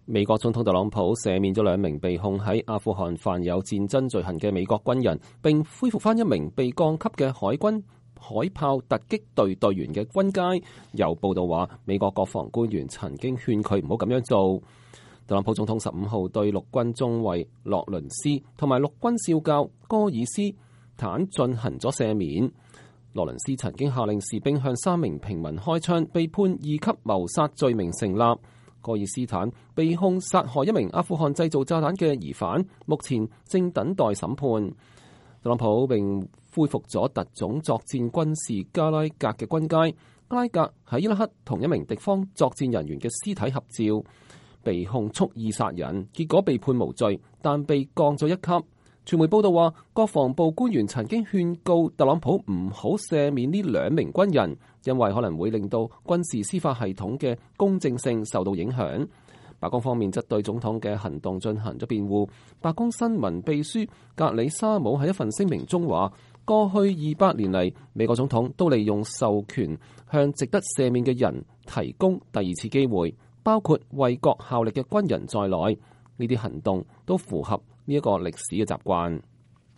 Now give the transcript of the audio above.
美國總統特朗普赦免咗2名被控喺阿富汗犯有戰爭罪行嘅美國軍人，並恢復返1名被降級嘅海軍海豹突擊隊隊員嘅軍階。有報道話，美國國防官員曾經勸佢唔好咁樣做。特朗普總統15號對陸軍中尉洛倫斯同埋陸軍少校戈爾斯坦進行咗赦免。羅倫斯曾經下令士兵向3名平民開槍，被判2級謀殺罪名成立。戈爾斯坦被控殺害1名阿富汗製造炸彈嘅疑犯，目前正等待審判。特朗普並恢復咗特種作戰軍事加拉格嘅軍階。加拉格喺伊拉克同1名敵方作戰人員嘅屍體合照，被控蓄意殺人，結果被判無罪，但被降咗1級。傳媒報道話，國防部官員曾經勸告特朗普唔好赦免呢2名軍人，因為可能會令到軍事司法系統嘅公正性受到影響。白宮方面則對總統嘅行動進行咗辯護。白宮新聞秘書格里沙姆喺一份聲明中話，過去200年嚟，美國總統都利用授權向值得赦免嘅人提供第2次機會，包括為國效力嘅軍人在內。呢啲行動都符合呢一個歷史嘅習慣。